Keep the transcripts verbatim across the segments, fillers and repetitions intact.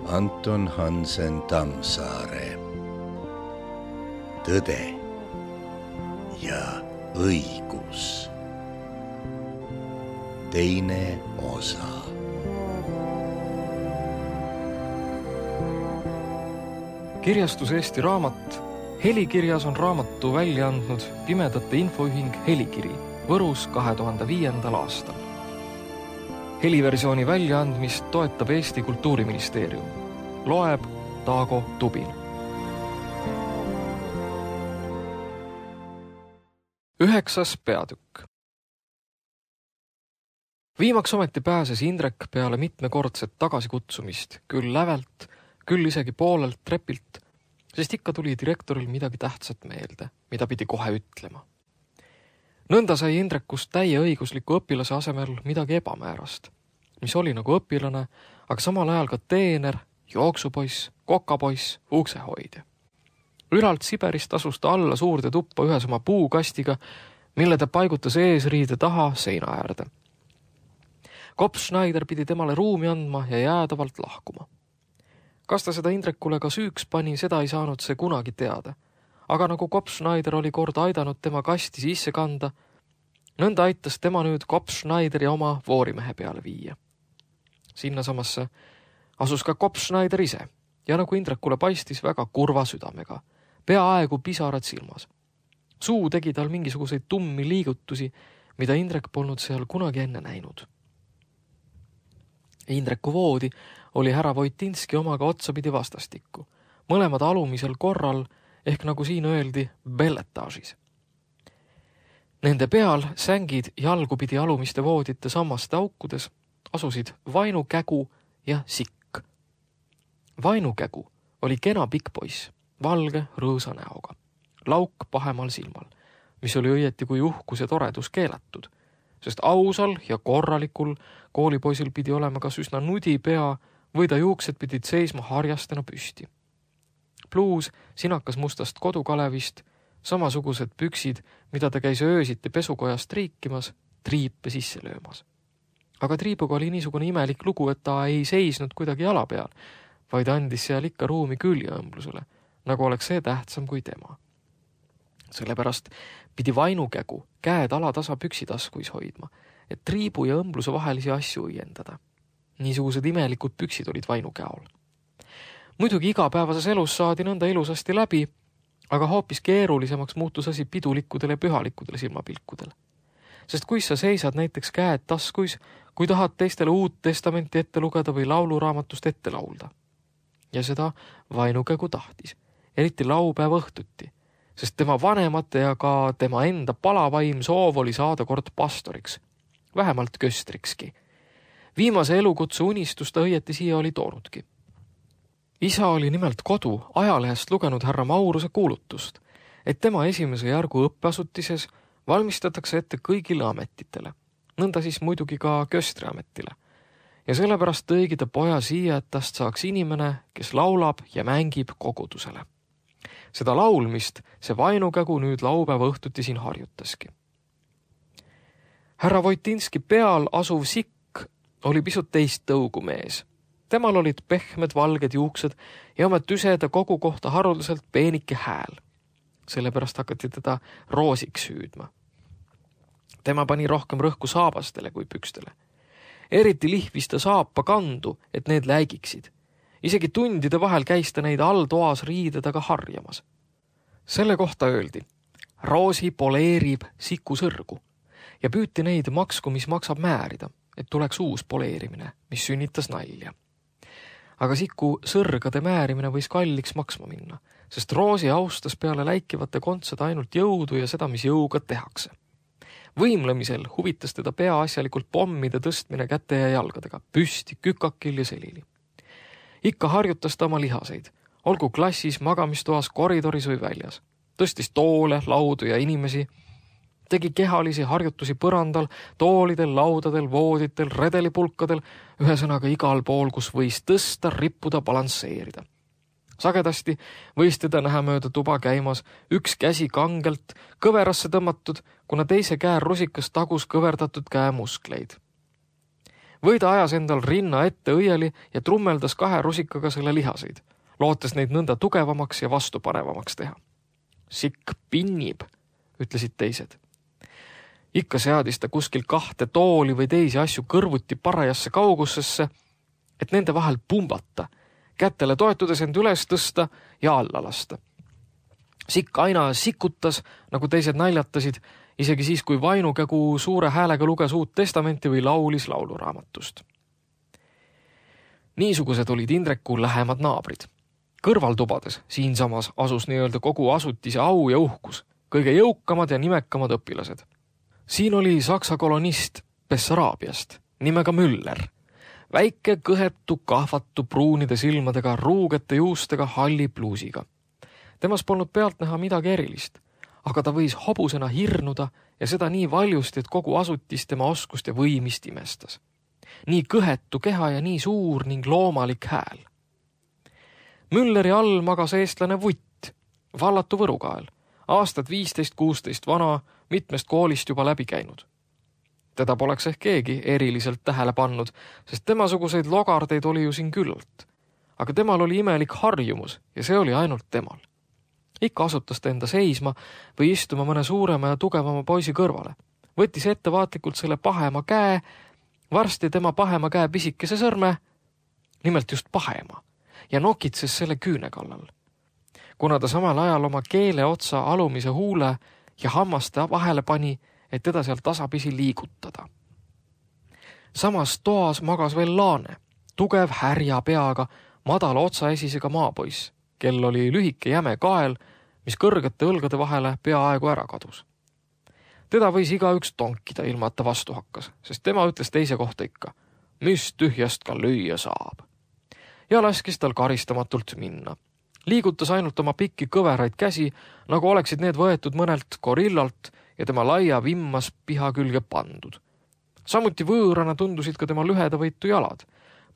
Anton Hansen Tammsaare. Tõde ja õigus. Teine osa. Kirjastus Eesti Raamat. Helikirjas on raamatu välja andnud Pimedate Infoühing Helikiri Võrus kahe tuhande viiendal aastal. Heliversiooni väljaandmist toetab Eesti Kultuuriministeerium. Loeb Taago Tubin. Üheksas peatükk. Viimaks ometi pääses Indrek peale mitmekordset tagasikutsumist, küll lävelt, küll isegi poolelt trepilt, sest ikka tuli direktoril midagi tähtsat meelde, mida pidi kohe ütlema. Nõnda sai Indrekust täieõigusliku õpilase asemel midagi ebamäärast, mis oli nagu õpilane, aga samal ajal ka teener, jooksupoiss, kokapoiss, uksehoidja. Ülalt Siberist asus ta alla suurde tuppa ühes oma puukastiga, mille ta paigutas eesriide taha seina äärde. Kops Schneider pidi temale ruumi andma ja jäädavalt lahkuma. Kas ta seda Indrekule ka süüks pani, seda ei saanud see kunagi teada. Aga nagu Kops Schneider oli kord aidanud tema kasti sisse kanda, nõnda aitas tema nüüd Kops Schneideri oma voorimehe peale viia. Sinna samasse asus ka Kops Schneider ise ja nagu Indrekule paistis väga kurva südamega, peaaegu pisarad silmas. Suu tegi tal mingisuguseid tummi liigutusi, mida Indrek polnud seal kunagi enne näinud. Indreku voodi oli härra Voitinski omaga otsapidi vastastikku, mõlemad alumisel korral, ehk nagu siin öeldi, belletaažis. Nende peal sängid jalgupidi alumiste voodite sammaste aukudes asusid Vainukägu ja Sikk. Vainukägu oli kena pikk poiss, valge rõõsa näoga, lauk pahemal silmal, mis oli õieti kui uhkus ja toredus keelatud, sest ausal ja korralikul koolipoisil pidi olema kas üsna nudi pea või ta juuksed pidid seisma harjastena püsti. Pluus sinakas mustast kodukalevist, samasugused püksid, mida ta käis öösiti pesukojast triikimas, triipe sisse löömas. Aga triibuga oli niisugune imelik lugu, et ta ei seisnud kuidagi jala peal, vaid andis seal ikka ruumi küljeõmblusele, nagu oleks see tähtsam kui tema. Sellepärast pidi Vainukägu käed alatasa püksitaskuis hoidma, et triibu ja õmbluse vahelisi asju õiendada. Niisugused imelikud püksid olid Vainukäol. Muidugi igapäevases elus saadi nõnda ilusasti läbi, aga hoopis keerulisemaks muutus asi pidulikkudel ja pühalikkudel silmapilkudel. Sest kui sa seisad näiteks käed taskuis, kui tahad teistele uut testamenti ette lugeda või lauluraamatust ette laulda. Ja seda Vainukägu tahtis, eriti laupäeva õhtuti, sest tema vanemate ja ka tema enda palavaim soov oli saada kord pastoriks, vähemalt köstrikski. Viimase elukutse unistus ta õieti siia oli toonudki. Isa oli nimelt kodu ajalehest lugenud härra Mauruse kuulutust, et tema esimese järgu õppeasutises valmistatakse ette kõigile ametitele, nõnda siis muidugi ka köstriametile. Ja sellepärast tõigi ta poja siia, et tast saaks inimene, kes laulab ja mängib kogudusele. Seda laulmist see Vainukägu nüüd laupäeva õhtuti siin harjutaski. Härra Voitinski peal asuv Sikk oli pisut teist tõugu mees. Temal olid pehmed valged juuksed ja oma tüseda kogu kohta haruldaselt peenike hääl. Sellepärast hakati teda roosiks hüüdma. Tema pani rohkem rõhku saabastele kui pükstele. Eriti lihvis ta saapa kandu, et need läigiksid. Isegi tundide vahel käis ta neid all toas riidedaga harjamas. Selle kohta öeldi, roosi poleerib Siku sõrgu ja püüti neid maksku, mis maksab määrida, et tuleks uus poleerimine, mis sünnitas nalja. Aga Siku sõrgade määrimine võis kalliks maksma minna, sest roosi austas peale läikivate kontsed ainult jõudu ja seda, mis jõuga tehakse. Võimlemisel huvitas teda peaasjalikult pommide tõstmine käte ja jalgadega, püsti, kükakil ja selili. Ikka harjutas ta oma lihaseid, olgu klassis, magamistoas, koridoris või väljas. Tõstis toole, laudu ja inimesi, tegi kehalisi harjutusi põrandal, toolidel, laudadel, vooditel, redelipulkadel, ühesõnaga igal pool, kus võis tõsta, rippuda, balansseerida. Sagedasti võis teda näha mööda tuba käimas, üks käsi kangelt, kõverasse tõmmatud, kuna teise käe rusikas tagus kõverdatud käe muskleid. või ta ajas endal rinna ette õieli ja trummeldas kahe rusikaga selle lihaseid, lootes neid nõnda tugevamaks ja vastupanevamaks teha. Sikk pinnib, ütlesid teised. Ikka seadis ta kuskil kahte tooli või teisi asju kõrvuti parajasse kaugussesse, et nende vahel pumbata, kätele toetudes end üles tõsta ja alla lasta. Sikk aina sikutas, nagu teised naljatasid, isegi siis, kui vainukägu suure häälega luges uut testamenti või laulis lauluraamatust. Niisugused olid Indreku lähemad naabrid. Kõrvaltubades siinsamas asus nii-öelda kogu asutise au ja uhkus, kõige jõukamad ja nimekamad õpilased. Siin oli saksa kolonist Bessaraabiast, nimega Müller, väike kõhetu, kahvatu, pruunide silmadega, ruugete juustega, halli pluusiga. Temas polnud pealt näha midagi erilist, aga ta võis hobusena hirnuda ja seda nii valjusti, et kogu asutis tema oskust ja võimist imestas. Nii kõhetu keha ja nii suur ning loomalik hääl. Mülleri all magas eestlane Vutt, vallatu võrukael, aastad viisteist kuusteist vana, mitmest koolist juba läbi käinud. Teda poleks ehk keegi eriliselt tähele pannud, sest temasuguseid logardeid oli ju siin küllalt. Aga temal oli imelik harjumus ja see oli ainult temal. Ikka asutas ta enda seisma või istuma mõne suurema ja tugevama poisi kõrvale. Võttis ettevaatlikult selle pahema käe, varsti tema pahema käe pisikese sõrme, nimelt just pahema, ja nokitses selle küüne kallal. Kuna ta samal ajal oma keele otsa alumise huule ja hammaste vahele pani, et teda seal tasapisi liigutada. Samas toas magas veel Laane, tugev härja peaga, madala otsaesisega maapoiss, kel oli lühike jäme kael, mis kõrgete õlgade vahele peaaegu ära kadus. Teda võis igaüks tonkida ilma, et ta vastu hakkas, sest tema ütles teise kohta ikka, mis tühjast ka lüüa saab. Ja laskis tal karistamatult minna. Liigutas ainult oma pikki kõveraid käsi, nagu oleksid need võetud mõnelt gorillalt ja tema laia vimmas piha külge pandud. Samuti võõrana tundusid ka tema lühedavõitu jalad.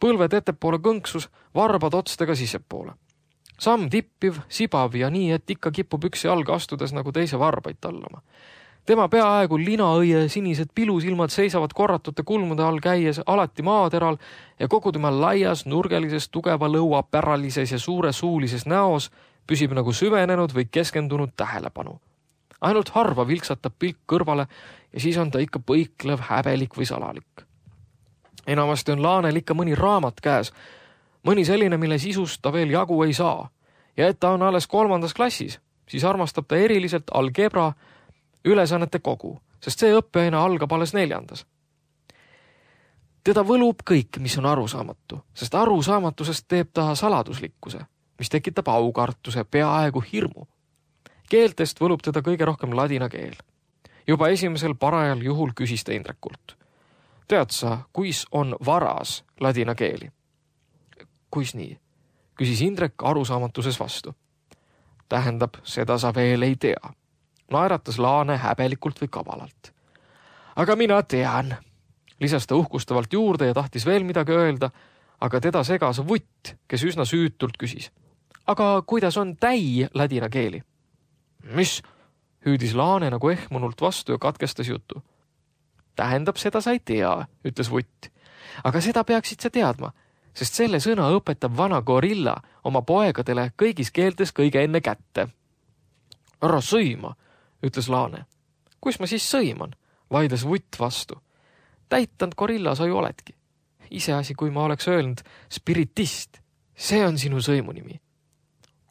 Põlved ettepoole kõnksus, varbad otstega sissepoole. Samm tippiv, sibav ja nii, et ikka kipub üksi alga astudes nagu teise varbaid tallama. Tema peaaegu linaõie sinised pilusilmad seisavad korratute kulmude all käies alati maateral ja kogu tema laias, nurgelises, tugeva lõua päralises ja suure suulises näos püsib nagu süvenenud või keskendunud tähelepanu. Ainult harva vilksatab pilk kõrvale ja siis on ta ikka põiklev, häbelik või salalik. Enamasti on Laanel ikka mõni raamat käes, mõni selline, mille sisust ta veel jagu ei saa. Ja et ta on alles kolmandas klassis, siis armastab ta eriliselt algebra ülesannete kogu, sest see õppeaine algab alles neljandas. Teda võlub kõik, mis on arusaamatu, sest arusaamatusest teeb ta saladuslikkuse, mis tekitab aukartuse, peaaegu hirmu. Keeltest võlub teda kõige rohkem ladina keel. Juba esimesel parajal juhul küsis ta Indrekult. Tead sa, kuis on varas ladina keeli? Kuis nii? Küsis Indrek arusaamatuses vastu. Tähendab, seda sa veel ei tea. Naeratas Laane häbelikult või kavalalt. Aga mina tean, lisas ta uhkustavalt juurde ja tahtis veel midagi öelda, aga teda segas Vutt, kes üsna süütult küsis. Aga kuidas on täi ladina keeli? Mis? Hüüdis Laane nagu ehmunult vastu ja katkestas jutu. Tähendab, seda sa ei tea, ütles Vutt. Aga seda peaksid sa teadma, sest selle sõna õpetab vana gorilla oma poegadele kõigis keeltes kõige enne kätte. Ära sõima, ütles Laane. Kus ma siis sõiman? Vaidles Vutt vastu. Täitanud gorilla sa ju oledki. Iseasi, kui ma oleks öelnud spiritist. See on sinu sõimunimi.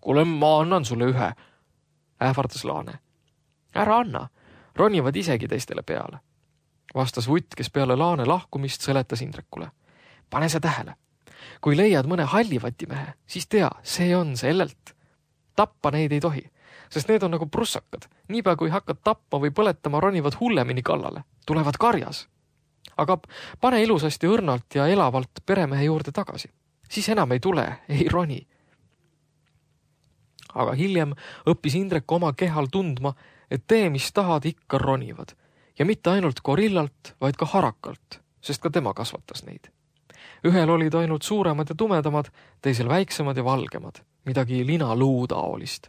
Kuule, ma annan sulle ühe, ähvardas Laane. Ära anna, ronivad isegi teistele peale. Vastas Vutt, kes peale Laane lahkumist seletas Indrekule. Pane sa tähele. Kui leiad mõne hallivatimehe, siis tea, see on sellelt. Tappa neid ei tohi, sest need on nagu prussakad. Niipea kui hakkad tapma või põletama, ronivad hullemini kallale. Tulevad karjas. Aga pane ilusasti õrnalt ja elavalt peremehe juurde tagasi. Siis enam ei tule, ei roni. Aga hiljem õppis Indrek oma kehal tundma, et tee, mis tahad, ikka ronivad. Ja mitte ainult gorillalt, vaid ka harakalt, sest ka tema kasvatas neid. Ühel olid ainult suuremad ja tumedamad, teisel väiksemad ja valgemad, midagi lina luutaolist.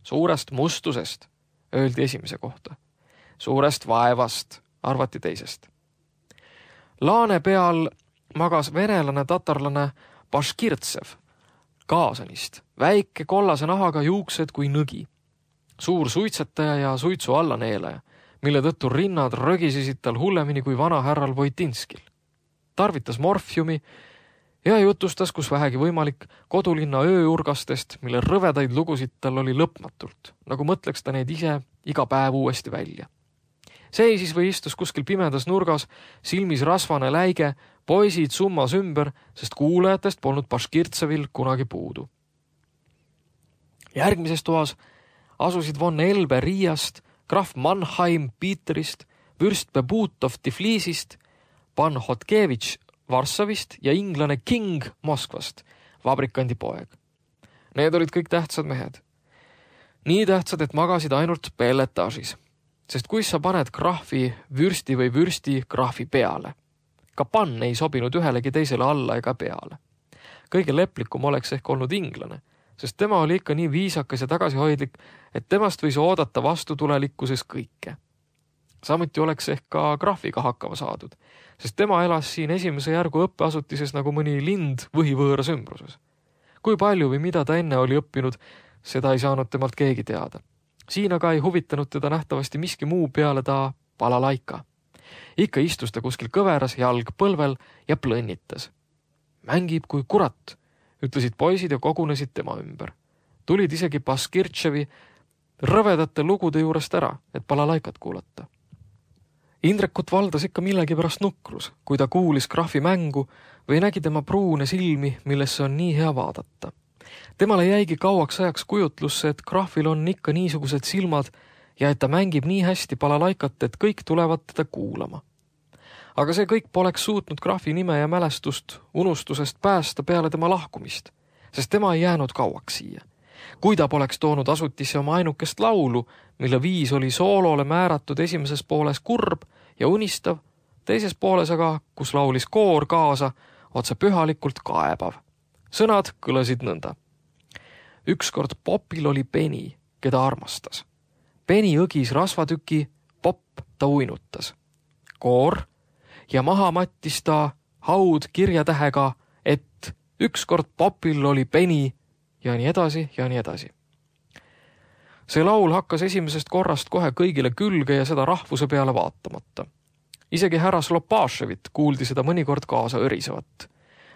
Suurest mustusest, öeldi esimese kohta. Suurest vaevast, arvati teisest. Laane peal magas venelane tatarlane Baškirtsev, Kaasanist, väike kollase nahaga, juuksed kui nõgi. Suur suitsetaja ja suitsu allaneelaja, mille tõttu rinnad rögisesid tal hullemini kui vana härral Voitinskil. Tarvitas morfiumi ja jutustas, kus vähegi võimalik, kodulinna ööurgastest, mille rõvedaid lugusid tal oli lõpmatult, nagu mõtleks ta neid ise iga päev uuesti välja. Seisis või istus kuskil pimedas nurgas, silmis rasvane läige, poisid summas ümber, sest kuulajatest polnud Baškirtsevil kunagi puudu. Järgmises toas asusid von Elbe Riiast, krahv Mannheim Pieterist, vürst Bebutov Tiflisist, pan Hotkevitš Varssavist ja inglane King Moskvast, vabrikandi poeg. Need olid kõik tähtsad mehed. Nii tähtsad, et magasid ainult pelletaažis, sest kui sa paned krahvi vürsti või vürsti krahvi peale, ka pann ei sobinud ühelegi teisele alla ega peale. Kõige leplikum oleks ehk olnud inglane, sest tema oli ikka nii viisakas ja tagasihoidlik, et temast võis oodata vastutulelikkuses kõike. Samuti oleks ehk ka krahviga hakkama saadud, sest tema elas siin esimese järgu õppeasutises nagu mõni lind võhivõõras ümbruses. Kui palju või mida ta enne oli õppinud, seda ei saanud temalt keegi teada. Siin aga ei huvitanud teda nähtavasti miski muu peale ta balalaika. Ikka istus ta kuskil kõveras, jalg põlvel ja plõnnitas. Mängib kui kurat, ütlesid poisid ja kogunesid tema ümber. Tulid isegi Baškirtševi rõvedate lugude juurest ära, et balalaikat kuulata. Indrekut valdas ikka millegi pärast nukrus, kui ta kuulis krahvi mängu või nägi tema pruune silmi, millesse on nii hea vaadata. Temale jäigi kauaks ajaks kujutlusse, et krahvil on ikka niisugused silmad ja et ta mängib nii hästi balalaikat, et kõik tulevad teda kuulama. Aga see kõik poleks suutnud krahvi nime ja mälestust unustusest päästa peale tema lahkumist, sest tema ei jäänud kauaks siia. Kui ta poleks toonud asutisse oma ainukest laulu, mille viis oli soolole määratud esimeses pooles kurb ja unistav, teises pooles aga, kus laulis koor kaasa, otse pühalikult kaebav. Sõnad kõlasid nõnda. Ükskord Popil oli Peni, keda armastas. Peni õgis rasvatüki, Pop ta uinutas. Koor ja maha mattis ta haud kirjatähega, et ükskord Popil oli Peni ja nii edasi ja nii edasi. See laul hakkas esimesest korrast kohe kõigile külge ja seda rahvuse peale vaatamata. Isegi härra Slopaševit kuuldi seda mõnikord kaasa õrisevat.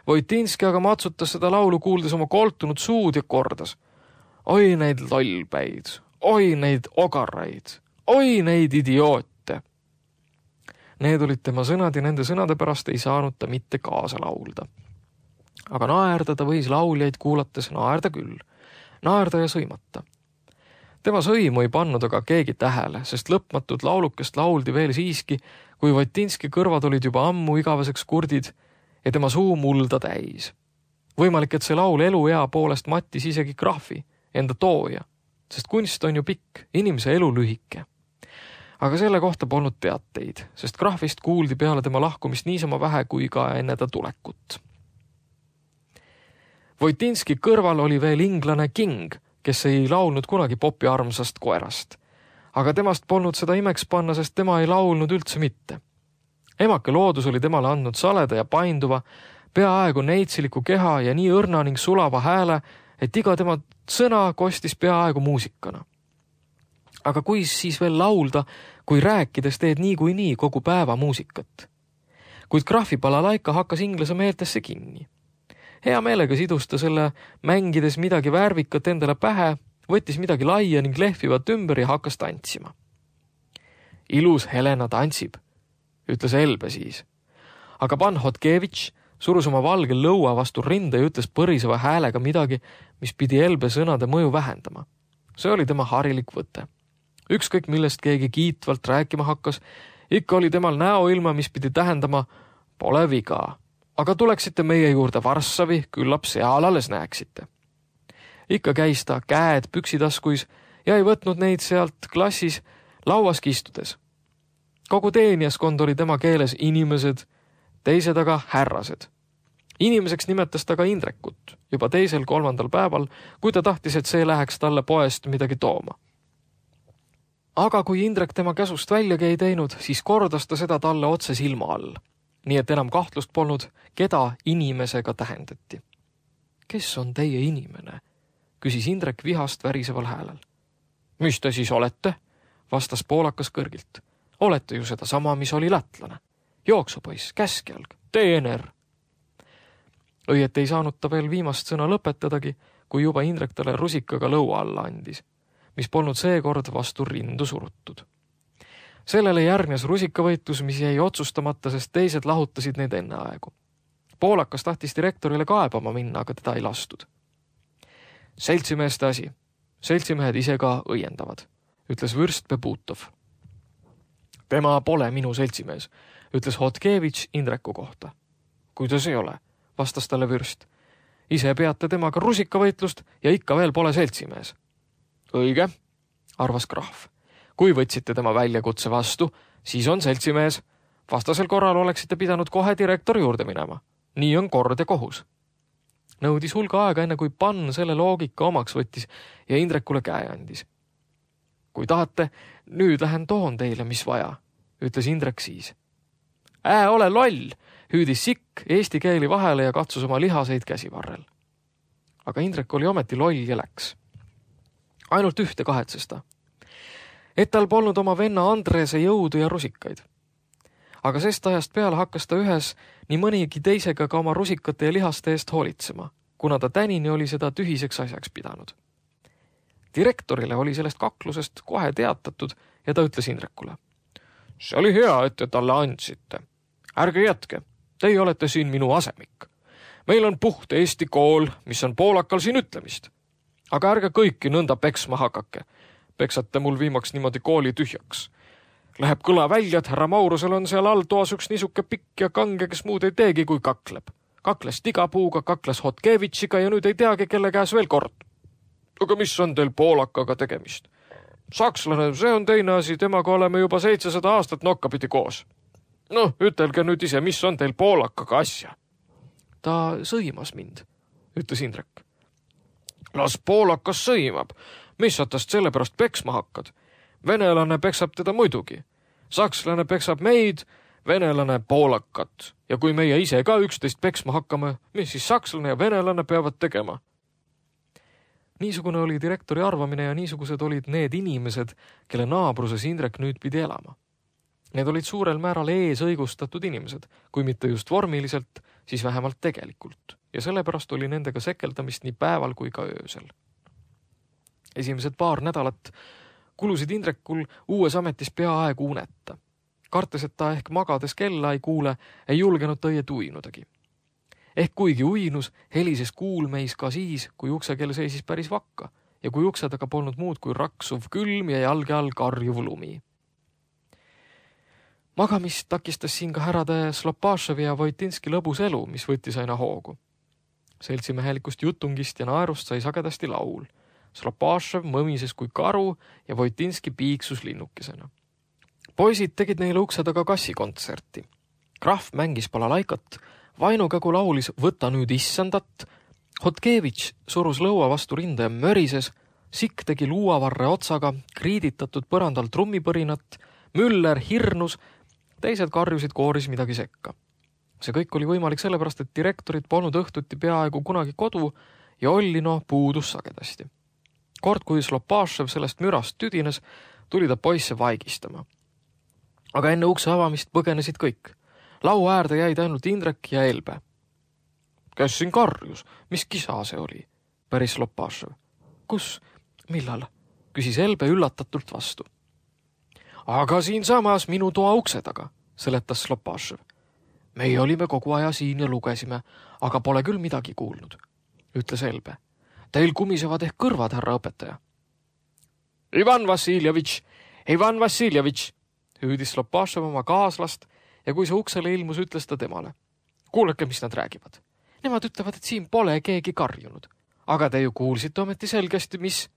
Voitinski aga matsutas seda laulu kuuldes oma koltunud suud ja kordas. Oi neid lollpäid, oi neid ogarraid, oi neid idioote. Need olid tema sõnad ja nende sõnade pärast ei saanud ta mitte kaasa laulda. Aga naerda ta võis lauljaid kuulates naerda küll, naerda ja sõimata. Tema sõimu ei pannud aga keegi tähele, sest lõpmatud laulukest lauldi veel siiski, kui Voitinski kõrvad olid juba ammu igaveseks kurdid ja tema suu mulda täis. Võimalik, et see laul eluea poolest mattis isegi krahvi, enda tooja, sest kunst on ju pikk, inimese elu lühike. Aga selle kohta polnud teateid, sest krahvist kuuldi peale tema lahkumist niisama vähe kui ka enne ta tulekut. Voitinski kõrval oli veel inglane King, kes ei laulnud kunagi Popi armsast koerast. Aga temast polnud seda imeks panna, sest tema ei laulnud üldse mitte. Emake loodus oli temale andnud saleda ja painduva, peaaegu neitsiliku keha ja nii õrna ning sulava hääle, et iga tema sõna kostis peaaegu muusikana. Aga kui siis veel laulda, kui rääkides teed nii kui nii kogu päeva muusikat? Kuid krahvi balalaika hakkas inglase meeltesse kinni. Hea meelega sidus ta selle mängides midagi värvikat endale pähe, võttis midagi laia ning lehvivat ümber ja hakkas tantsima. Ilus Helena tantsib, ütles Elbe siis. Aga pan Hotkevitš surus oma valge lõua vastu rinda ja ütles põriseva häälega midagi, mis pidi Elbe sõnade mõju vähendama. See oli tema harilik võte. Ükskõik millest keegi kiitvalt rääkima hakkas, ikka oli temal näoilma, mis pidi tähendama pole viga. Aga tuleksite meie juurde Varssavi, küllap seal alles näeksite. Ikka käis ta käed püksitaskuis ja ei võtnud neid sealt klassis lauaski istudes. Kogu teenijaskond oli tema keeles inimesed, teised aga härrased. Inimeseks nimetas ta ka Indrekut juba teisel kolmandal päeval, kui ta tahtis, et see läheks talle poest midagi tooma. Aga kui Indrek tema käsust väljagi ei teinud, siis kordas ta seda talle otse silma all. nii et enam kahtlust polnud, keda inimesega tähendati. Kes on teie inimene? Küsis Indrek vihast väriseval häälel. Mis te siis olete? Vastas poolakas kõrgilt. Olete ju seda sama, mis oli lätlane. Jooksupoiss, käskjalg, teener. Õiet ei saanud ta veel viimast sõna lõpetadagi, kui juba Indrek talle rusikaga lõua alla andis, mis polnud seekord vastu rindu surutud. Sellele järgnes rusikavõitlus, mis jäi otsustamata, sest teised lahutasid neid enne aegu. Poolakas tahtis direktorile kaebama minna, aga teda ei lastud. Seltsimeeste asi. Seltsimehed ise ka õiendavad, ütles vürst Bebutov. Tema pole minu seltsimees, ütles Hotkevitš Indreku kohta. Kuidas ei ole, vastas talle vürst. Ise peate temaga rusikavõitlust ja ikka veel pole seltsimees. Õige, arvas krahv. Kui võtsite tema väljakutse vastu, siis on seltsimees. Vastasel korral oleksite pidanud kohe direktori juurde minema. Nii on kord ja kohus. Nõudis hulga aega enne, kui Pann selle loogika omaks võttis ja Indrekule käe andis. Kui tahate, nüüd lähen toon teile, mis vaja, ütles Indrek siis. Ää, ole loll, hüüdis Sikk eesti keeli vahele ja katsus oma lihaseid käsivarrel. Aga Indrek oli ometi loll ja läks. Ainult ühte kahetses ta. Et tal polnud oma venna Andrese jõudu ja rusikaid. Aga sest ajast peale hakkas ta ühes nii mõnigi teisega ka oma rusikate ja lihaste eest hoolitsema, kuna ta tänini oli seda tühiseks asjaks pidanud. Direktorile oli sellest kaklusest kohe teatatud ja ta ütles Indrekule. See oli hea, et te talle andsite. Ärge jätke, teie olete siin minu asemik. Meil on puht Eesti kool, mis on poolakal siin ütlemist. Aga ärge kõiki nõnda peksma hakake. Peksate mul viimaks niimoodi kooli tühjaks. Läheb kõla välja, et härra Maurusel on seal all toas üks niisuke pikk ja kange, kes muud ei teegi, kui kakleb. Kakles Tigapuuga, kakles Hotkevitšiga ja nüüd ei teagi, kelle käes veel kord. Aga mis on teil poolakaga tegemist? Sakslane, see on teine asi, temaga oleme juba seitsesada aastat nokkapidi koos. Noh, ütelge nüüd ise, mis on teil poolakaga asja? Ta sõimas mind, ütles Indrek. Las poolakas sõimab. Mis sa tast selle pärast peksma hakkad? Venelane peksab teda muidugi. Sakslane peksab meid, venelane poolakat. Ja kui meie ise ka üksteist peksma hakkame, mis siis sakslane ja venelane peavad tegema? Niisugune oli direktori arvamine ja niisugused olid need inimesed, kelle naabruses Indrek nüüd pidi elama. Need olid suurel määral ees õigustatud inimesed, kui mitte just vormiliselt, siis vähemalt tegelikult. Ja sellepärast oli nendega sekeldamist nii päeval kui ka öösel. Esimesed paar nädalat kulusid Indrekul uues ametis peaaegu uneta. Kartes, et ta ehk magades kella ei kuule, ei julgenud ta õie tuinudagi. Ehk kuigi uinus, helises kuulmeis ka siis, kui uksekell seisis päris vakka ja kui ukse taga polnud muud kui raksuv külm ja jalge all karjuv lumi. Magamist takistas siin ka härrade Slopaševi ja Vojtinski lõbus elu, mis võttis aina hoogu. Seltsimehelikust jutungist ja naerust sai sagedasti laul. Slopašev mõmises kui karu ja Vojtinski piiksus linnukesena. Poisid tegid neile ukse taga kassikontserti. Krahv mängis balalaikat, Vainukägu laulis Võta nüüd issandat, Hotkevitš surus lõua vastu rinda ja mörises, Sikk tegi luuavarre otsaga, kriiditatud põrandal trummipõrinat, Müller hirnus, teised karjusid kooris midagi sekka. See kõik oli võimalik sellepärast, et direktorid polnud õhtuti peaaegu kunagi kodu ja Ollino puudus sagedasti. Kord, kui Slopašev sellest mürast tüdines, tuli ta poisse vaigistama. Aga enne ukse avamist põgenesid kõik. Laua äärde jäid ainult Indrek ja Elbe. Kes siin karjus? Mis kisa see oli? Päris Slopašev. Kus? Millal? Küsis Elbe üllatatult vastu. Aga siin samas minu toa ukse taga, seletas Slopašev. Meie olime kogu aja siin ja lugesime, aga pole küll midagi kuulnud, ütles Elbe. Teil kumisevad ehk kõrvad, härra õpetaja. Ivan Vassiljevitš, Ivan Vassiljevitš, hüüdis Slopašev oma kaaslast ja kui see uksele ilmus, ütles ta temale. Kuulake, mis nad räägivad. Nemad ütlevad, et siin pole keegi karjunud. Aga te ju kuulsite ometi selgesti, mis...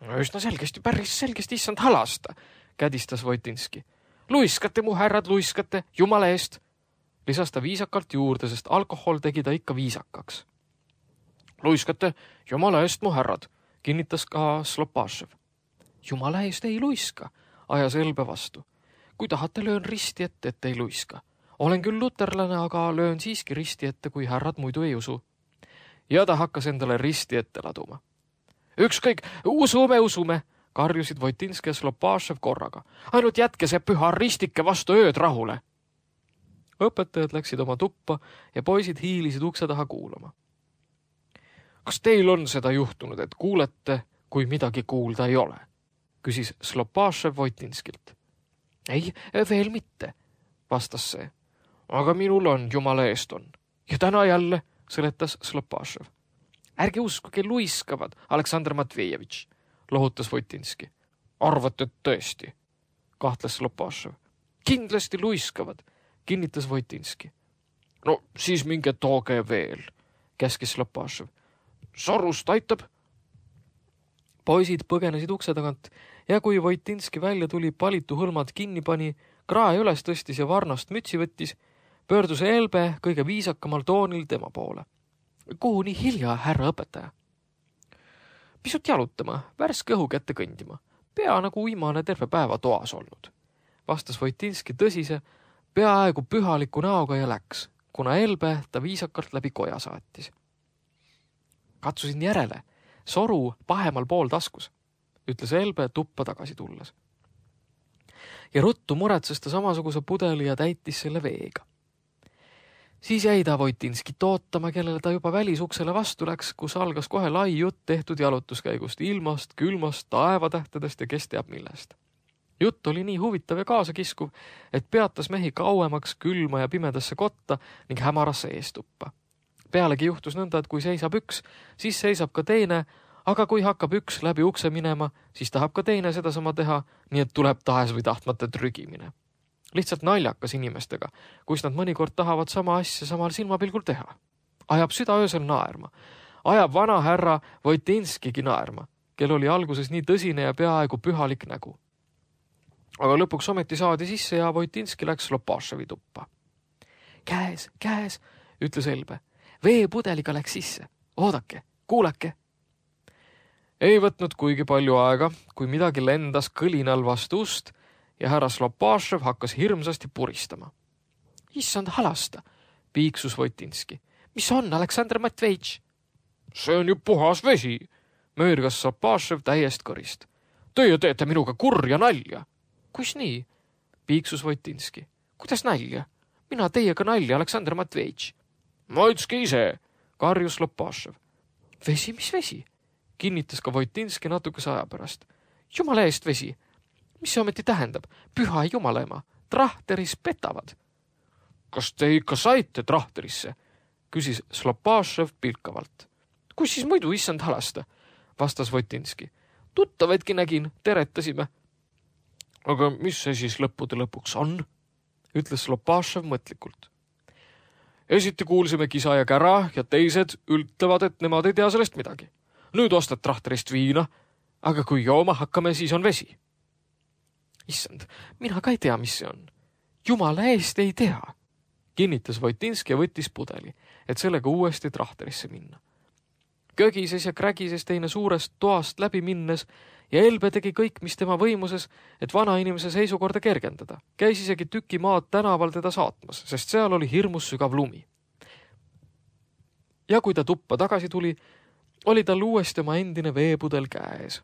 No üsna selgesti, päris selgesti, issand halasta, kädistas Vojtinski. Luiskate, mu härrad, luiskate, jumala eest. Lisas ta viisakalt juurde, sest alkohol tegi ta ikka viisakaks. Luiskate, jumala eest, mu härrad, kinnitas ka Slopašev. Jumala eest ei luiska, ajas Elbe vastu. Kui tahate, löön risti ette, et ei luiska. olen küll luterlane, aga löön siiski risti ette, kui härrad muidu ei usu. Ja ta hakkas endale risti ette laduma. Ükskõik, usume, usume, karjusid Voitinski ja Slopašev korraga. Ainult jätke see püha ristike vastu ööd rahule. Õpetajad läksid oma tuppa ja poisid hiilisid ukse taha kuulama. Kas teil on seda juhtunud, et kuulete, kui midagi kuulda ei ole? Küsis Slopašev Voitinskilt. Ei, veel mitte, vastas see. Aga minul on, jumala eest on. Ja täna jälle, seletas Slopašev. Ärge uskuge, luiskavad, Aleksandr Matvejevitš, lohutas Voitinski. Arvate, et tõesti, kahtles Slopašev. Kindlasti luiskavad, kinnitas Voitinski. No siis minge tooge veel, käskis Slopašev. Sorust aitab. Poisid põgenesid ukse tagant ja kui Voitinski välja tuli, palitu hõlmad kinni pani, krae üles tõstis ja varnast mütsi võttis, pöördus Elbe kõige viisakamal toonil tema poole. Kuhu nii hilja, härra õpetaja? Pisut jalutama, värske õhu kätte kõndima. Pea nagu uimane terve päeva toas olnud. Vastas Voitinski tõsise, peaaegu pühaliku näoga ja läks, kuna Elbe ta viisakalt läbi koja saatis. Katsusin järele, soru pahemal pool taskus, ütles Elbe tuppa tagasi tulles. Ja ruttu muretses ta samasuguse pudeli ja täitis selle veega. Siis jäi ta Voitinskit ootama, kellele ta juba välisuksele vastu läks, kus algas kohe lai jutt tehtud jalutuskäigust, ilmast, külmast, taevatähtedest ja kes teab millest. Jutt oli nii huvitav ja kaasakiskuv, et peatas mehi kauemaks külma ja pimedasse kotta ning hämarasse eestuppa. Pealegi juhtus nõnda, et kui seisab üks, siis seisab ka teine, aga kui hakkab üks läbi ukse minema, siis tahab ka teine sedasama teha, nii et tuleb tahes või tahtmata trügimine. Lihtsalt naljakas inimestega, kus nad mõnikord tahavad sama asja samal silmapilgul teha. Ajab süda öösel naerma. Ajab vana härra Voitinskigi naerma, kel oli alguses nii tõsine ja peaaegu pühalik nägu. Aga lõpuks ometi saadi sisse ja Voitinski läks Slopaševi tuppa. Käes, käes, ütles Elbe. Veepudeliga läks sisse. Oodake, kuulake. Ei võtnud kuigi palju aega, kui midagi lendas kõlinal vastu ust ja härra Slopašev hakkas hirmsasti puristama. Issand halasta, piiksus Voitinski. Mis on, Aleksandr Matvejitš? See on ju puhas vesi, möörgas Slopašev täiest kõrist. Teie teete minuga kurja nalja. Kus nii? Piiksus Voitinski. Kuidas nalja? Mina teiega nalja, Aleksandr Matvejitš. Maitske ise, karjus Slopašev. Vesi, mis vesi? Kinnitas ka Voitinski natukese aja pärast. Jumala eest vesi. Mis see ometi tähendab? Püha jumalaema. Trahteris petavad. Kas te ikka saite trahterisse? Küsis Slopašev pilkavalt. Kus siis muidu, issand halasta? Vastas Voitinski. Tuttavaidki nägin, teretasime. Aga mis see siis lõppude lõpuks on? Ütles Slopašev mõtlikult. Esiti kuulsime kisa ja kära ja teised ütlevad, et nemad ei tea sellest midagi. Nüüd ostad trahterist viina, aga kui jooma hakkame, siis on vesi. Issand, mina ka ei tea, mis see on. Jumala eest ei tea, kinnitas Voitinski ja võttis pudeli, et sellega uuesti trahterisse minna. Kögises ja krägises teine suurest toast läbi minnes ja Elbe tegi kõik, mis tema võimuses, et vana inimese seisukorda kergendada. Käis isegi tüki maad tänaval teda saatmas, sest seal oli hirmus sügav lumi. Ja kui ta tuppa tagasi tuli, oli tal uuesti oma endine veepudel käes.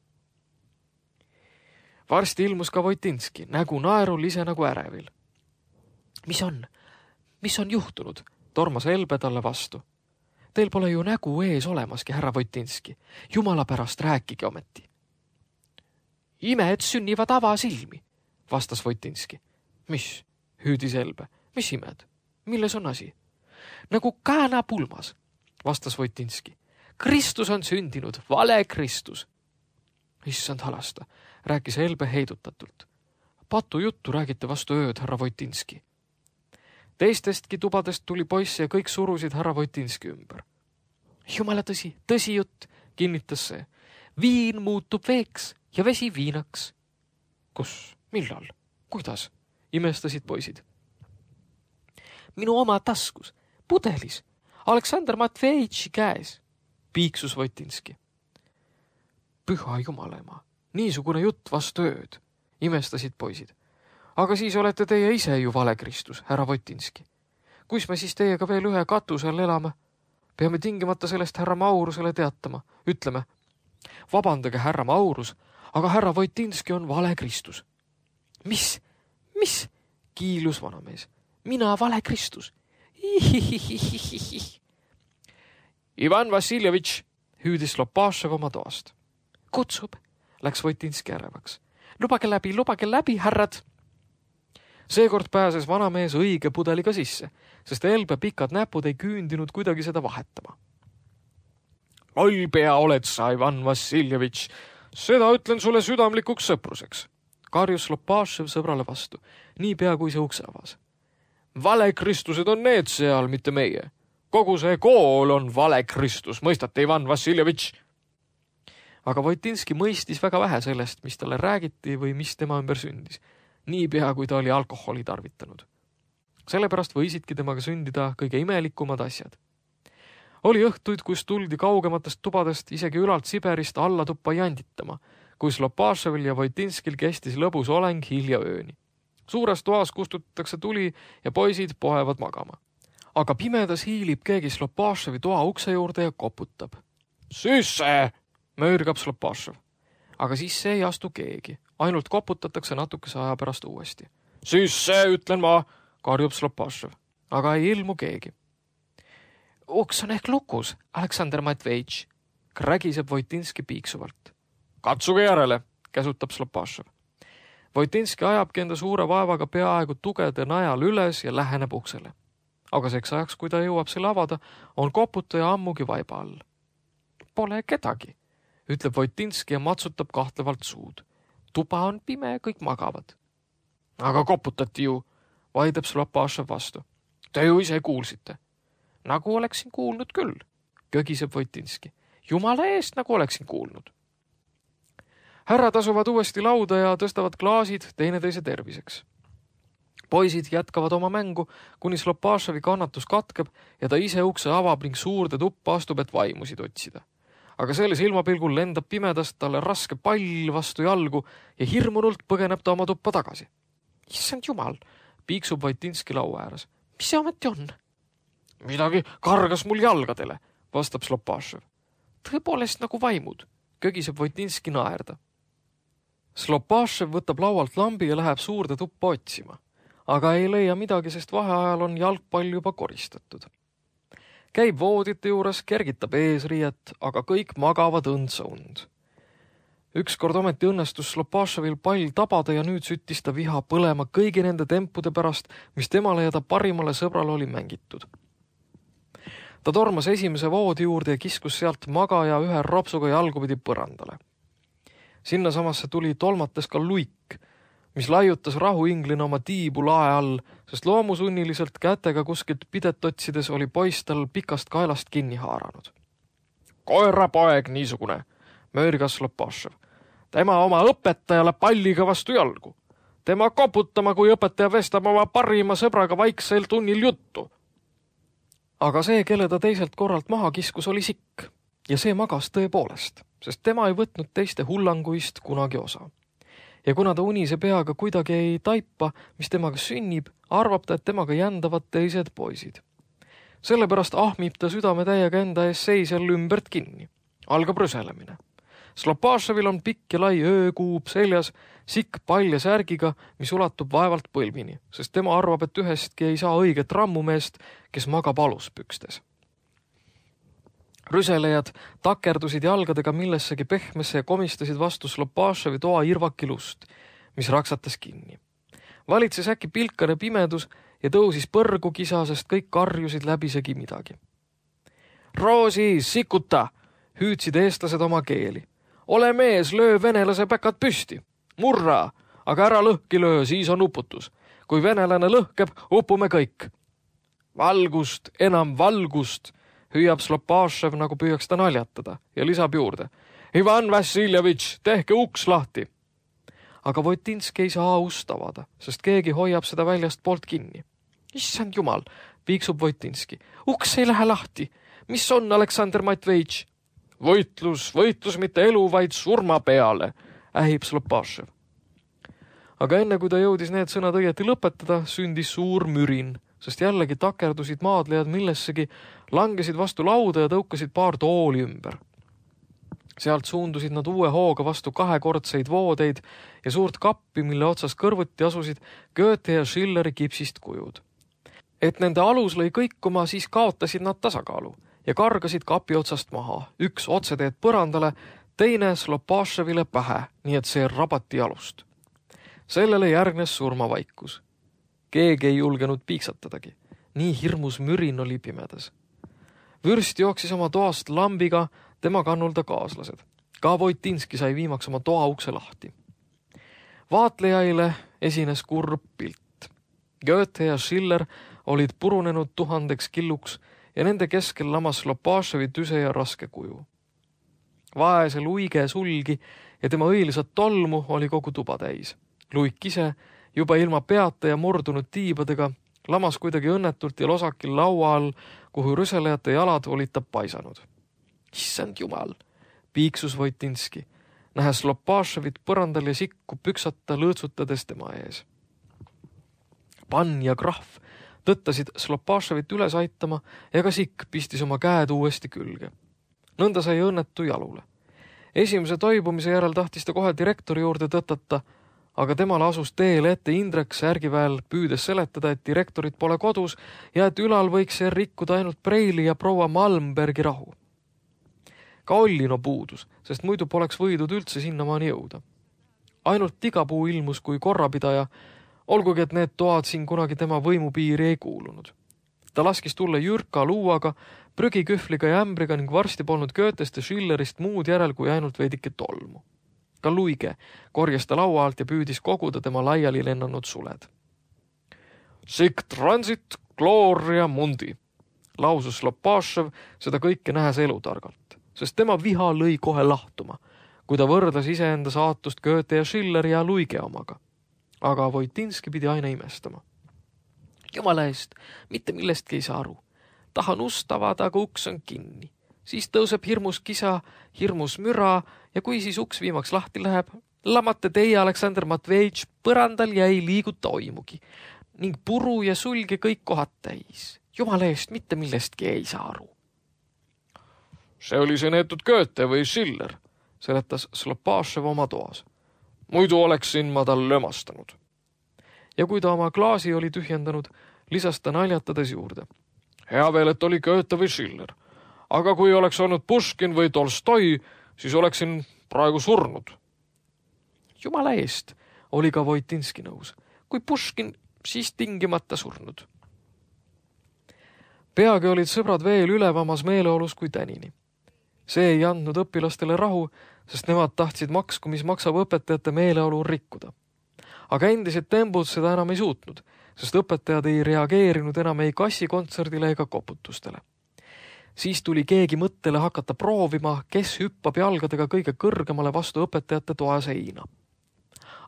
Varsti ilmus ka Voitinski, nägu naerul ise nagu ärevil. Mis on? Mis on juhtunud? Tormas Elbe talle vastu. Teil pole ju nägu ees olemaski, härra Voitinski. Jumala pärast rääkige ometi. Imed sünnivad avasilmi, vastas Voitinski. Mis? Hüüdis Elbe. Mis imed? Milles on asi? Nagu kääna pulmas, vastas Voitinski. Kristus on sündinud, vale Kristus. Issand halasta, rääkis Elbe heidutatult. Patu juttu räägite vastu ööd, härra Voitinski. Teistestki tubadest tuli poisse ja kõik surusid härra Voitinski ümber. Jumala tõsi, tõsi jutt, kinnitas see. Viin muutub veeks ja vesi viinaks. Kus? Millal? Kuidas? Imestasid poisid. Minu oma taskus, pudelis, Aleksandr Matvejitši käes, piiksus Voitinski. Püha jumalaema, niisugune jutt vastu ööd, imestasid poisid. Aga siis olete teie ise ju vale Kristus, härra Voitinski. kus me siis teiega veel ühe katuse all elame? Peame tingimata sellest härra Maurusele teatama. Ütleme, vabandage härra Maurus, aga härra Voitinski on vale Kristus. Mis? Mis? Kiilus vanamees. Mina vale Kristus. Ivan Vassiljevitš, hüüdis Lopašev oma toast. Kutsub, läks Voitinski ärevaks. Lubage läbi, lubage läbi, härrad. Seekord pääses vanamees õige pudeliga sisse, sest Elbe pikad näpud ei küündinud kuidagi seda vahetama. Loll pea oled sa, Ivan Vassiljevitš. Seda ütlen sulle südamlikuks sõpruseks. Karjus Lopašev sõbrale vastu, nii pea kui see ukse avas. Vale Kristused on need seal, mitte meie. Kogu see kool on vale Kristus, mõistate, Ivan Vassiljevitš? Aga Voitinski mõistis väga vähe sellest, mis talle räägiti või mis tema ümber sündis, nii pea kui ta oli alkoholi tarvitanud. Sellepärast võisidki temaga sündida kõige imelikumad asjad. Oli õhtuid, kus tuldi kaugematest tubadest isegi ülalt Siberist alla tuppa janditama, kus Lopaševil ja Voitinskil kestis lõbus oleng hilja ööni. Suures toas kustutatakse tuli ja poisid poevad magama. Aga pimedas hiilib keegi Lopaševi toa ukse juurde ja koputab. Sisse! Möörgab Lopašev. Aga sisse ei astu keegi. Ainult koputatakse natukese aja pärast uuesti. Sisse, ütlen ma, karjub Lopašev. Aga ei ilmu keegi. Uks on ehk lukus, Aleksandr Matveitš, krägiseb Voitinski piiksuvalt. Katsuge järele, käsutab Lopašev. Voitinski ajabki enda suure vaevaga peaaegu tugede najal üles ja läheneb uksele. Aga seks ajaks, kui ta jõuab selle avada, on koputaja ammugi vaiba all. Pole kedagi, ütleb Voitinski ja matsutab kahtlevalt suud. Tuba on pime, kõik magavad. Aga koputati ju, vaidab Lopašev vastu. Te ju ise kuulsite. Nagu oleksin kuulnud küll, kögiseb Voitinski. Jumala eest, nagu oleksin kuulnud. Härrad asuvad uuesti lauda ja tõstavad klaasid teineteise terviseks. Poisid jätkavad oma mängu, kuni Lopaševi kannatus katkeb ja ta ise ukse avab ning suurde tuppa astub, et vaimusid otsida. Aga selle silmapilgul lendab pimedast talle raske pall vastu jalgu ja hirmunult põgeneb ta oma tuppa tagasi. Issand jumal, piiksub Voitinski laua ääres. Mis see ometi on? Midagi kargas mul jalgadele, vastab Lopašev. Tõepoolest nagu vaimud, kögiseb Voitinski naerda. Lopašev võtab laualt lambi ja läheb suurde tuppa otsima, aga ei leia midagi, sest vaheajal on jalgpall juba koristatud. Käib voodite juures, kergitab eesriiet, aga kõik magavad õndsa und. Ükskord ometi õnnestus Lopaševil pall tabada ja nüüd süttis ta viha põlema kõigi nende tempude pärast, mis temale ja ta parimale sõbrale oli mängitud. Ta tormas esimese voodi juurde ja kiskus sealt magaja ühe ropsuga jalgupidi põrandale. Sinna samasse tuli tolmates ka luik, mis laiutas rahuinglina oma tiibu lae all, sest loomusunniliselt kätega kuskilt pidet otsides oli poiss tal pikast kaelast kinni haaranud. Koerapoeg niisugune, möörgas Lopašev. Tema oma õpetajale palliga vastu jalgu. Tema koputama, kui õpetaja vestab oma parima sõbraga vaiksel tunnil juttu. Aga see, kelle ta teiselt korralt maha kiskus, oli sikk ja see magas tõepoolest, sest tema ei võtnud teiste hullanguist kunagi osa. Ja kuna ta unise peaga kuidagi ei taipa, mis temaga sünnib, arvab ta, et temaga jändavad teised poisid. Sellepärast ahmib ta südame täiega enda ees seisjal ümbert kinni. Algab rüselemine. Lopaševil on pikk ja lai öökuub seljas, sikk palja särgiga, mis ulatub vaevalt põlvini, sest tema arvab, et ühestki ei saa õiget rammumeest, kes magab aluspükstes. Rüselejad takerdusid jalgadega millessegi pehmesse ja komistasid vastu Lopaševi toa irvakilust, mis raksatas kinni. Valitses äkki pilkane pimedus ja tõusis põrgu kisa, sest kõik karjusid läbisegi midagi. Roosi, sikuta, hüüdsid eestlased oma keeli. Ole mees, löö venelase päkad püsti. Murra, aga ära lõhki löö, siis on uputus. Kui venelane lõhkeb, upume kõik. Valgust, enam valgust, hüüab Lopašev, nagu püüaks ta naljatada ja lisab juurde. Ivan Vassiljevitš, tehke uks lahti. Aga Voitinski ei saa ust avada, sest keegi hoiab seda väljast poolt kinni. Issand jumal, piiksub Voitinski. Uks ei lähe lahti. Mis on, Aleksandr Matveitš? Võitlus, võitlus mitte elu, vaid surma peale, ähib Lopašev. Aga enne kui ta jõudis need sõnad õieti lõpetada, sündis suur mürin, sest jällegi takerdusid maadlejad millessegi, langesid vastu lauda ja tõukasid paar tooli ümber. Sealt suundusid nad uue hooga vastu kahekordseid voodeid ja suurt kappi, mille otsas kõrvuti asusid Goethe ja Schilleri kipsist kujud. Et nende alus lõi kõikuma, siis kaotasid nad tasakaalu ja kargasid kapi otsast maha, üks otseteed põrandale, teine Slopaševile pähe, nii et see rabati jalust. Sellele järgnes surmavaikus. Keegi ei julgenud piiksatadagi. Nii hirmus mürin oli pimedas. Vürst jooksis oma toast lambiga, tema kannulda kaaslased. Ka Voitinski sai viimaks oma toa ukse lahti. Vaatlejaile esines kurb pilt. Goethe ja Schiller olid purunenud tuhandeks killuks ja nende keskel lamas Slopaševi tüse ja raske kuju. Vaese Luige sulgi ja tema õilisat tolmu oli kogu tuba täis. Luik ise, juba ilma peata ja murdunud tiibadega, lamas kuidagi õnnetult ja losakil laua all, kuhu rüselejate jalad olid ta paisanud. Issand jumal, piiksus Voitinski, nähes Slopaševit põrandal ja sikku püksata lõõtsutades tema ees. Pann ja krahv tõttasid Slopaševit üles aitama ja ka sikk pistis oma käed uuesti külge. Nõnda sai õnnetu jalule. Esimese toibumise järel tahtis ta kohe direktori juurde tõtata, aga temale asus teele ette Indrek särgiväel püüdes seletada, et direktorit pole kodus ja et ülal võiks see rikkuda ainult Preili ja proua Malmbergi rahu. Ka Ollino puudus, sest muidu poleks võidud üldse sinnamaani jõuda. Ainult Tigapuu ilmus kui korrapidaja, olgugi et need toad siin kunagi tema võimupiiri ei kuulunud. Ta laskis tulla jürka luuaga, prügikühvliga ja ämbriga ning varsti polnud Goethest ja Schillerist muud järel kui ainult veidike tolmu. Ka Luige korjas ta laua alt ja püüdis koguda tema laiali lennanud suled. Sic transit gloria mundi, lausus Slopašev seda kõike nähes elutargalt, sest tema viha lõi kohe lahtuma, kui ta võrdles iseenda saatust Goethe ja Schilleri ja Luige omaga. Aga Voitinski pidi aina imestama. Jumala eest, mitte millestki ei saa aru. Tahan ust avada, aga uks on kinni. Siis tõuseb hirmus kisa, hirmus müra ja kui siis uks viimaks lahti läheb, lamate teie, Aleksander Matvejitš, põrandal ja ei liiguta oimugi. Ning puru ja sulge kõik kohad täis. Jumala eest, mitte millestki ei saa aru. See oli see neetud Goethe või Schiller, seletas Slopašev oma toas. Muidu oleksin ma tal lömastanud. Ja kui ta oma klaasi oli tühjendanud, lisas ta naljatades juurde. Hea veel, et oli Goethe või Schiller. Aga kui oleks olnud Puškin või Tolstoi, siis oleksin praegu surnud. Jumala eest, oli ka Voitinski nõus. Kui Puškin, siis tingimata surnud. Peagi olid sõbrad veel ülevamas meeleolus kui tänini. See ei andnud õpilastele rahu, sest nemad tahtsid maksku, mis maksab õpetajate meeleolu rikkuda. Aga endised tembud seda enam ei suutnud, sest õpetajad ei reageerinud enam ei kassikontserdile ega koputustele. Siis tuli keegi mõttele hakata proovima, kes hüppab jalgadega kõige kõrgemale vastu õpetajate toa seina.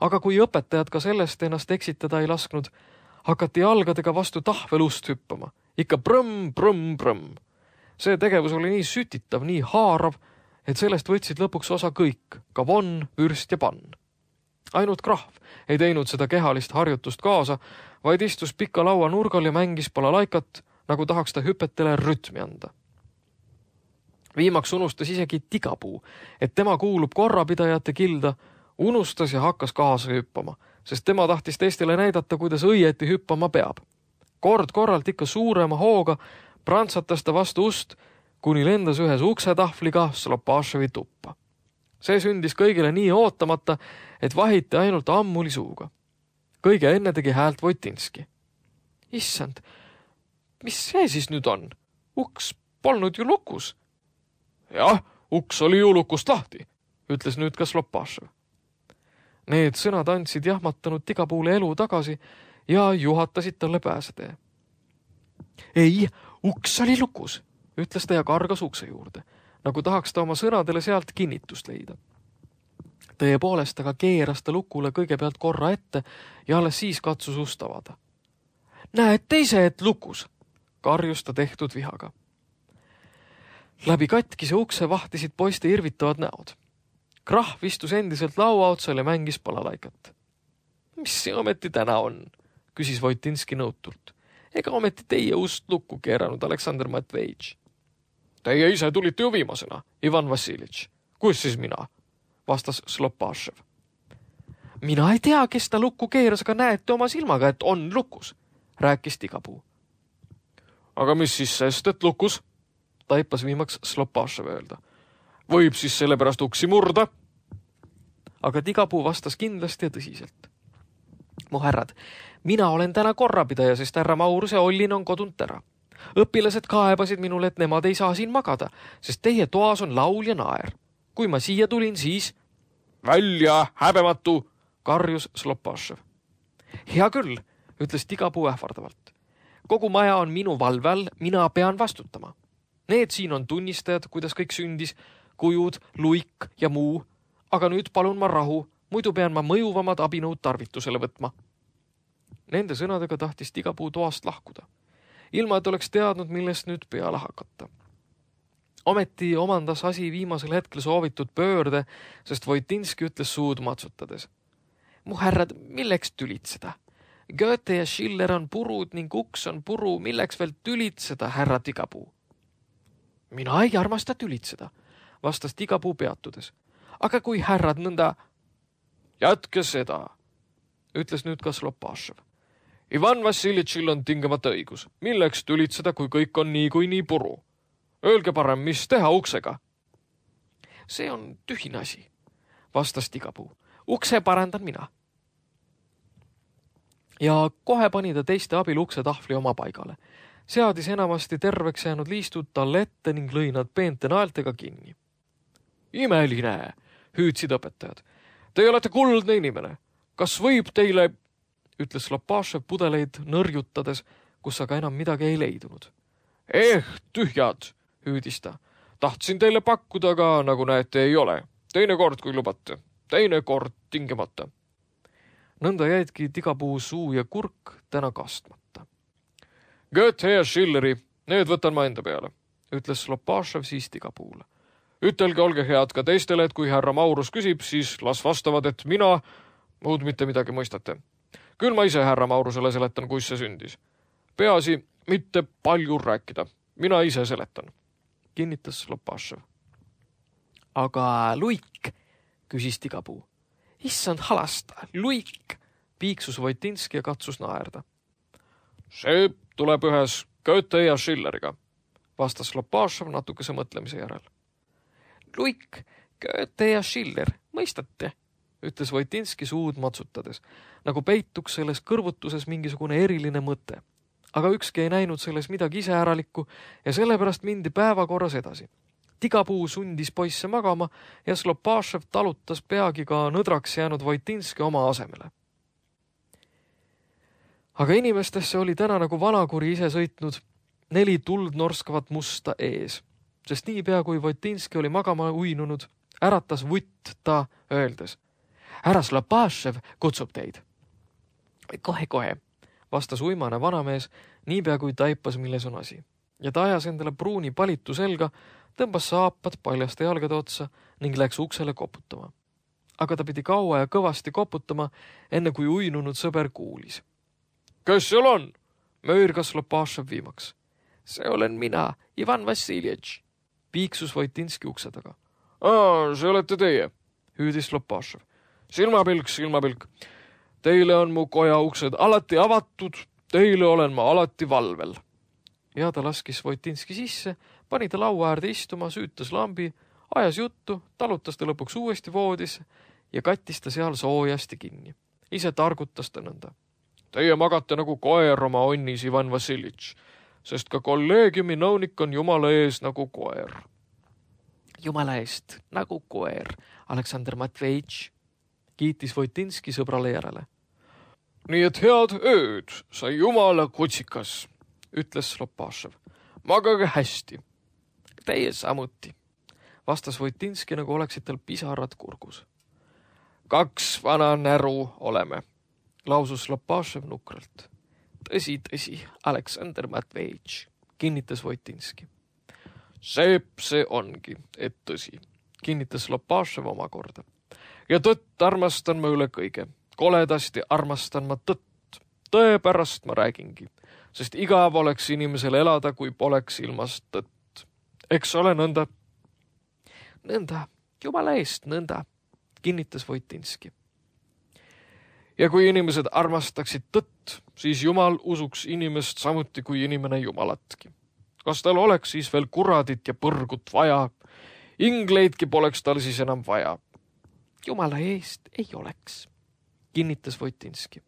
Aga kui õpetajad ka sellest ennast eksitada ei lasknud, hakati jalgadega vastu tahvelust hüppama. Ikka brõmm, brõmm, brõmm. See tegevus oli nii sütitav, nii haarav, et sellest võtsid lõpuks osa kõik, ka Von, Vürst ja Pann. Ainult krahv ei teinud seda kehalist harjutust kaasa, vaid istus pika laua nurgal ja mängis balalaikat, nagu tahaks ta hüpetele rütmi anda. Viimaks unustas isegi Tigapuu, et tema kuulub korrapidajate kilda, unustas ja hakkas kaasa hüppama, sest tema tahtis teistele näidata, kuidas õieti hüppama peab. Kord korralt ikka suurema hooga prantsatas ta vastu ust, kuni lendas ühes uksetahvliga Slopaševi tuppa. See sündis kõigile nii ootamata, et vahiti ainult ammuli suuga. Kõige enne tegi häält Voitinski. Issand, mis see siis nüüd on? Uks polnud ju lukus. Jah, uks oli ju lukust lahti, ütles nüüd ka Slopašev. Need sõnad andsid jahmatanud Tigapuule elu tagasi ja juhatasid talle pääsetee. Ei, uks oli lukus, ütles ta ja kargas ukse juurde, nagu tahaks ta oma sõnadele sealt kinnitust leida. Tõepoolest aga keeras ta lukule kõigepealt korra ette ja alles siis katsus ust avada. Näed teise, et lukus, karjus ta tehtud vihaga. Läbi katkise ukse vahtisid poiste irvitavad näod. Krahv istus endiselt laua otsal ja mängis balalaikat. Mis see ometi täna on? Küsis Voitinski nõutult. Ega ometi teie ust lukku keeranud, Aleksandr Matvejitš. Teie ise tulite ju viimasena, Ivan Vassilitš. Kus siis mina? Vastas Slopašev. Mina ei tea, kes ta lukku keeras, aga näete oma silmaga, et on lukus, rääkis Tigapuu. Aga mis siis sest, et lukus? Taipas viimaks Slopašev öelda. Võib siis sellepärast uksi murda? Aga Tigapuu vastas kindlasti ja tõsiselt. Mu härrad, mina olen täna korrapidaja, sest härra Maurus ja Ollin on kodunt ära. Õpilased kaebasid minule, et nemad ei saa siin magada, sest teie toas on laul ja naer. Kui ma siia tulin, siis... Välja, häbematu, karjus Slopašev. Hea küll, ütles Tigapuu ähvardavalt. Kogu maja on minu valve all, mina pean vastutama. Need siin on tunnistajad, kuidas kõik sündis, kujud, luik ja muu, aga nüüd palun ma rahu, muidu pean ma mõjuvamad abinõud tarvitusele võtma. Nende sõnadega tahtis Tigapuu toast lahkuda, ilma et oleks teadnud, millest nüüd peale hakata. Ometi omandas asi viimasel hetkel soovitud pöörde, sest Voitinski ütles suud matsutades. Mu härrad, milleks tülitseda? Goethe ja Schiller on purud ning uks on puru, milleks veel tülitseda, härra Tigapuu? Mina ei armasta tülitseda, vastas Tigapuu peatudes. Aga kui härrad nõnda... Jätke seda, ütles nüüd ka Slopašev. Ivan Vassilitšil on tingimata õigus. Milleks tülitseda, kui kõik on nii kui nii puru? Öelge parem, mis teha uksega? See on tühine asi, vastas Tigapuu. Ukse parandan mina. Ja kohe pani ta teiste abil ukse tahvli oma paigale. Seadis enamasti terveks jäänud liistud talle ette ning lõi nad peente naeltega kinni. Imeline, hüüdsid õpetajad. Te olete kuldne inimene. Kas võib teile, ütles Slopašev pudeleid nõrjutades, kus aga enam midagi ei leidunud. Eh, tühjad, hüüdis ta. Tahtsin teile pakkuda, aga nagu näete ei ole. Teine kord, kui lubate. Teine kord tingimata. Nõnda jäidki Tigapuu suu ja kurk täna kastmata. Goethe ja Schilleri, need võtan ma enda peale, ütles Slopašev siis Tigapuule. Ütelge, olge head ka teistele, et kui härra Maurus küsib, siis las vastavad, et mina muud mitte midagi mõistate. Küll ma ise härra Maurusele seletan, kus see sündis. Peaasi mitte palju rääkida. Mina ise seletan, kinnitas Slopašev. Aga luik, küsis Tigapuu. Issand halasta, luik, piiksus Voitinski ja katsus naerda. See tuleb ühes Goethe ja Schilleriga, vastas Slopašev natukese mõtlemise järel. Luik, Goethe ja Schiller, mõistate, ütles Voitinski suud matsutades, nagu peituks selles kõrvutuses mingisugune eriline mõte. Aga ükski ei näinud selles midagi iseäralikku ja sellepärast mindi päevakorras edasi. Tigapuu sundis poisse magama ja Slopašev talutas peagi ka nõdraks jäänud Voitinski oma asemele. Aga inimestesse oli täna nagu vanakuri ise sõitnud neli tuld norskavat musta ees, sest nii pea kui Voitinski oli magama uinunud, äratas vutt ta öeldes. Härra Slopašev kutsub teid. Kohe-kohe, vastas uimane vanamees, niipea kui taipas, milles on asi. Ja ta ajas endale pruuni palitu selga, tõmbas saapad paljaste jalgade otsa ning läks uksele koputama. Aga ta pidi kaua ja kõvasti koputama, enne kui uinunud sõber kuulis. Kes seal on? Möirgas Slopašev viimaks. See olen mina, Ivan Vassilitš, piiksus Voitinski ukse taga. Aa, see olete teie, hüüdis Slopašev. Silmapilk, silmapilk. Teile on mu koja uksed alati avatud, teile olen ma alati valvel. Ja ta laskis Voitinski sisse, pani ta laua äärde istuma, süütas lambi, ajas juttu, talutas ta lõpuks uuesti voodisse ja kattis ta seal soojasti kinni. Ise targutas ta nõnda. Teie magate nagu koer oma onnis, Ivan Vassilitš, sest ka kolleegiumi nõunik on jumala ees nagu koer. Jumala eest nagu koer, Aleksandr Matvejitš, kiitis Voitinski sõbrale järele. Nii et head ööd, sai jumala kutsikas, ütles Slopašev. Magage hästi. Teie samuti, vastas Voitinski, nagu oleksid tal pisarad kurgus. Kaks vana näru oleme, lausus Slopašev nukralt. Tõsi, tõsi, Aleksandr Matvejitš, kinnitas Voitinski. Seep see ongi, et tõsi, kinnitas Slopašev omakorda. Ja tõtt armastan ma üle kõige. Koledasti armastan ma tõtt. Tõe pärast ma räägingi. sest igav oleks inimesel elada, kui poleks ilmas tõtt. Eks ole nõnda? Nõnda, jumala eest nõnda, kinnitas Voitinski. Ja kui inimesed armastaksid tõtt, siis jumal usuks inimest samuti kui inimene jumalatki. Kas tal oleks siis veel kuradit ja põrgut vaja? Ingleidki poleks tal siis enam vaja. Jumala eest ei oleks, kinnitas Voitinski.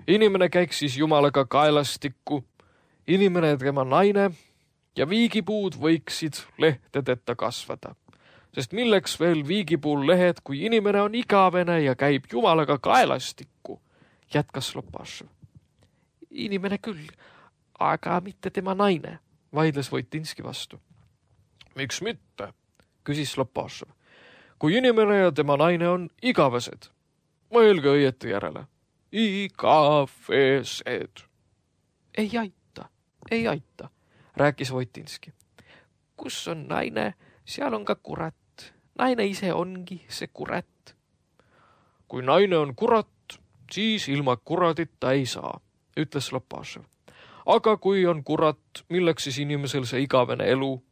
Inimene käiks siis jumalaga kaelastikku, inimene ja tema naine ja viigipuud võiksid lehtedeta kasvada. Sest milleks veel viigipuul lehed, kui inimene on igavene ja käib jumalaga kaelastikku, jätkas Lopašev. Inimene küll, aga mitte tema naine, vaidles Voitinski vastu. Miks mitte, küsis Lopašev. Kui inimene ja tema naine on igavesed, mõelge õieti järele. Igavesed. Ei aita, ei aita, rääkis Voitinski. Kus on naine, seal on ka kurat. Naine ise ongi see kurat. Kui naine on kurat, siis ilma kuradita ei saa, ütles Lopašev. Aga kui on kurat, milleks siis inimesel see igavene elu?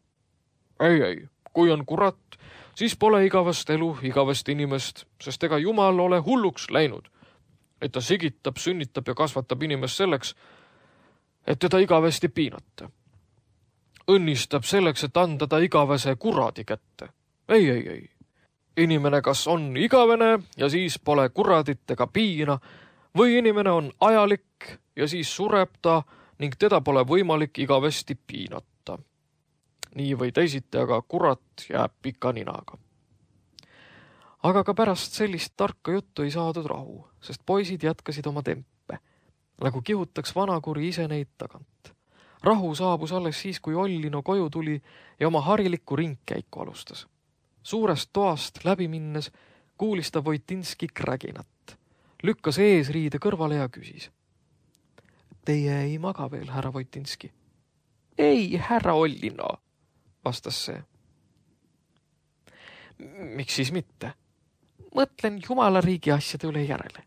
Ei, ei, kui on kurat, siis pole igavest elu, igavest inimest, sest ega jumal ole hulluks läinud, et ta sigitab, sünnitab ja kasvatab inimest selleks, et teda igavesti piinata. Õnnistab selleks, et anda ta igavese kuradi kätte. Ei, ei, ei. Inimene kas on igavene ja siis pole kuradit ega piina, või inimene on ajalik ja siis sureb ta ning teda pole võimalik igavesti piinata. Nii või teisiti, aga kurat jääb pika ninaga. Aga ka pärast sellist tarka juttu ei saadud rahu, sest poisid jätkasid oma tempe, nagu kihutaks vanakuri ise neid tagant. Rahu saabus alles siis, kui Ollino koju tuli ja oma harilikku ringkäiku alustas. Suurest toast läbi minnes kuulis ta Voitinski kräginat, lükkas eesriide kõrvale ja küsis. Teie ei maga veel, härra Voitinski? Ei, härra Ollino, vastas see. Miks siis mitte? Mõtlen jumala riigi asjade üle järele.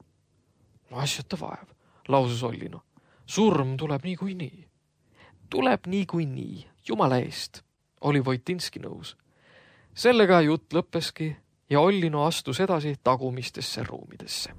Asjata vaev, lausus Ollino. Surm tuleb nii kui nii. Tuleb nii kui nii, jumala eest, oli Voitinski nõus. Sellega jutt lõppeski ja Ollino astus edasi tagumistesse ruumidesse.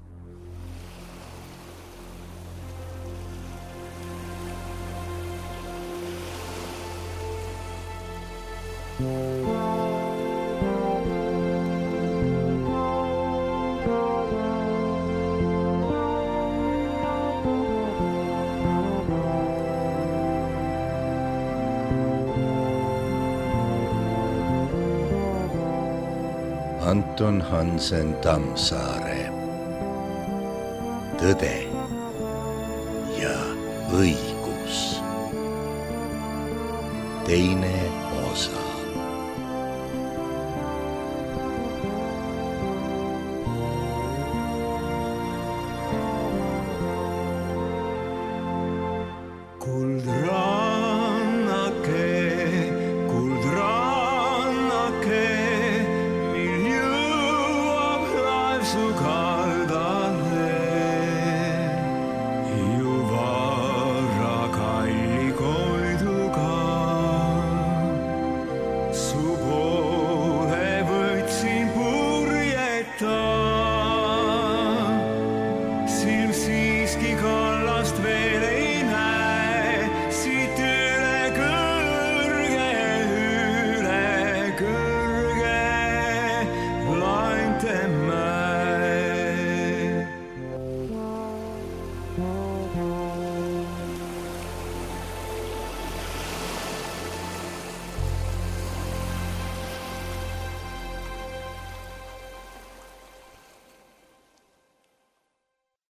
Anton Hansen Tammsaare. Tõde ja õigus. Teine osa. Suka